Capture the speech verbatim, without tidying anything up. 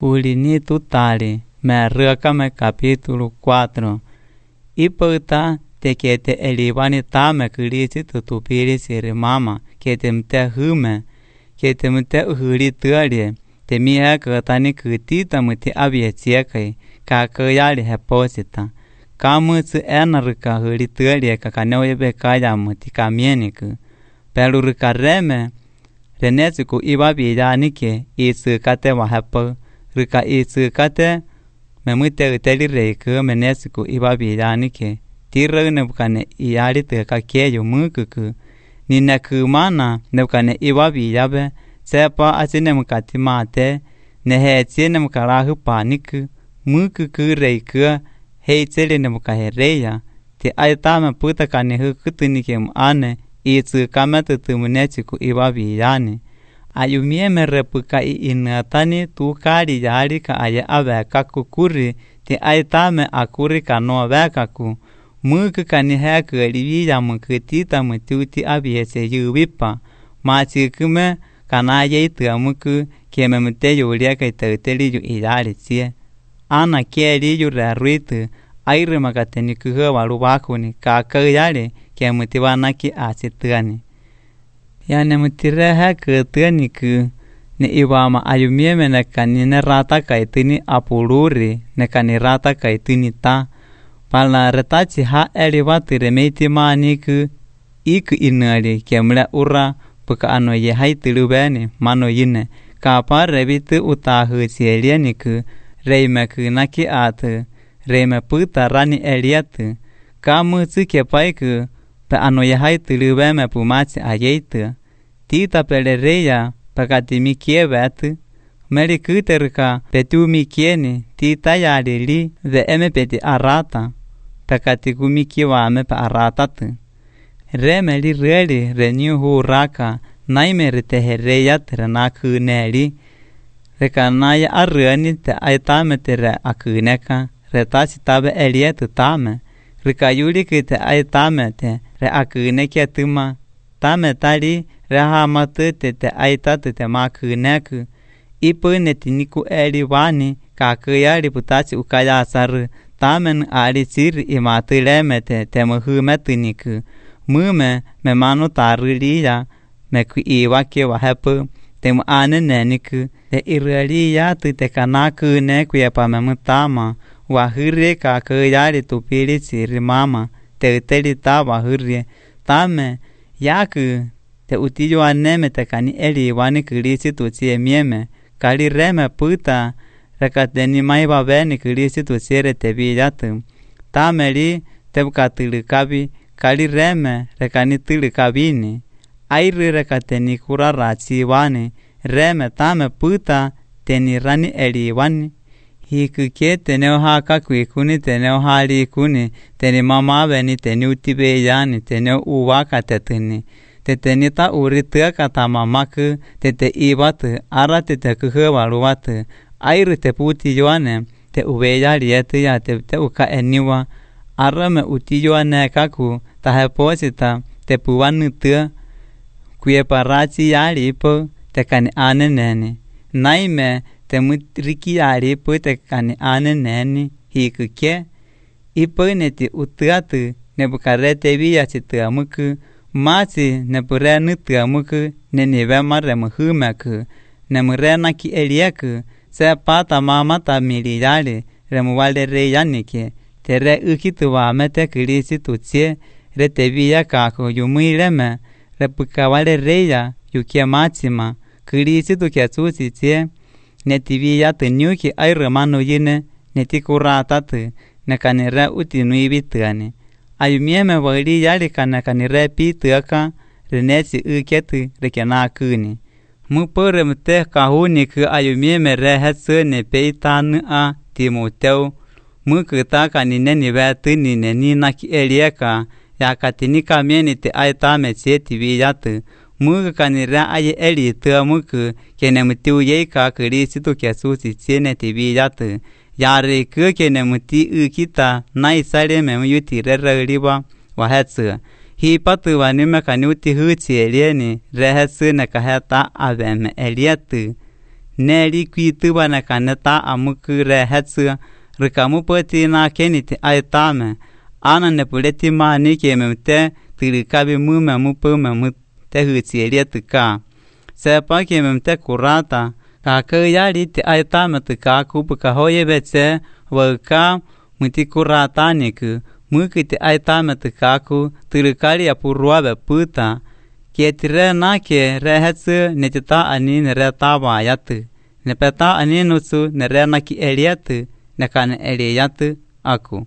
Ulini tutali, me rökame capítulo cuatro. Ipăta te que te elivani tame cârisi tutupiri siri mama, que te mte hâme, que te mte uhuri tărie, te mie cătani câtita mte aviețiecăi, ca căiali heposita. Ca măț enărâca hâri tărie, ca ca neoiebe caia măti ca mienică. Pelu râca reme, renețu cu iba bianike, isu cate wahepă, râca isu cate, me mute uteli reică, menețu cu iba bianike. Tiră nebucane iari te ca cheio mâcăcă, ni necâmana nebucane iba biabe, sepa acine mâncati mate, neheție nemucarahă panică, mâcăcă reică, heițele nebucahe reia, te aitame pută ca nehă câtânicem ane, iță camete tămâneți cu iba biane. Aiumie me răpâca i inătani tu cari iari ca aie avea ca cu curi, te aitame acuri ca nu avea ca cu, mâcă ca nihea că livia mâncătita mătiuti abiese iubipa, mați câme ca na ei tămâcă, cheme mte iulia că-i tăteli iu iari ție. Ana cheri iu rearuită, aire magateni câhă valubacuni, ca că iari, che mătiva nachi ați tăni. Ia ne mătire hea că tăni că ne iwama ayumie me ne ca ni ne rata ca tăni apuluri, ne ca ni rata ca tăni ta, palna retați ha eliva târemeti mani că ik inări chemle ura, păcă ano e hai tâlubeni, mano ine, ca apar revită uta hățielieni că reime că nachi ată, reime pâta rani eliată, ca măță chepai că pe ano e hai tâlubeme pumați a eită, tita pele reia, pe ca ti michievetă, meri câterca pe tu michieni, tita iarili, de eme pe ti arata, pe ca ti cu michieoame pe aratată. Remeli reli reniu huraca, naimeri te hereiat rena câneli, reca naia arăni te aitame te re a câneca, retați tabe elietă tame, reca iuli că te aitame te re a cânechea tâma, tame tali rehamată te te aitate te ma cânecă, i pâne tinicu elivani, ca căiari putați ucaia asară, tamen ari siri imatâlemete te măhâme tânică, mâme me manu tarâlia, me cu iwa chewa hepă, te mă ane nenică, te irălia te cana câne cu epa me mătama, wa hârie ca căiari tupiri siri mama, te îteli ta wa hârie, tame, iacă, te utilio aneme te cani eli iwani cârisi tu ție mieme, cali reme pâta, reca te nimai va veni cârisi tu ție te viiată. Tameli te buca tâlăcabi, cali reme reca ni tâlăcabini. Airi reca te ni cura rații iwani, reme tame pâta te ni rani eli iwani. Hikike te neo haka cuicuni te neo hali icuni, te ni mama veni te ni utibe iani, te neo uwaka te tâni. Te tenita urită ca ta mamacă, te te ibată, ara te te câhă valuată, airi te puti ioane, te uveia lietă te te uca eniwa, ara me uti ioane cacu, ta heposita, te puva nâtă, cu e parații aripă, te cani ane neni. Naime, te mâtrichi aripă, te cani ane neni, hicăche, ipă ne te utătă, ne bucare te via ce tămâcă, mați ne părea nătămâcă, ne nevea mare măhâmeacă, ne mărea nachi eliecă, se pata mama ta miliare, remuale reianiche, te re îchităva mete cârisi tu ție, re te via caco, iu mâileme, re păcavale reia, iu chemațima, cârisi tu chețuții ție, ne ti via tăniuchi ai rămanu ine, ne ti curatată, ne ca ne rea uti nu ibităne. Aiumie me văli iari ca ne ca ni repi tăca, reneți îchetă rechena câni. Mă părăm te ca huni că aiumie me rehet să ne pei tan a Timoteu, mă câta ca ni ne nivea tâni ne ni nachi elieca, ia ca tini ca mieni te ai tame ție tiviată, mă ca ni rea ai eli tă mă că, che ne mătiu ei ca cărisi tu chesuții ție ne tiviată, iar că che ne măti îchita, n-ai sale me mă iuti rărăriba, wa heță. Hi patu wa nime ka ni uti hății elieni, reheță ne ca heta aveme elietă. neli kuitubana kaneta amukure hetsu rikamuputi na keniti aitame ana nepuleti mani kememte tirikabi mume mupume mute hutsielietuka sepa kememte kurata kakayali ti aitame tuka kupuka hoyebetse waka muti kurata niku mukiti aitame tukaku tirikali apuruabe puta kietire nake rehetsu netita ani neretaba yatu nepeta ani nutsu nerena ki eliatu nekane eliatu aku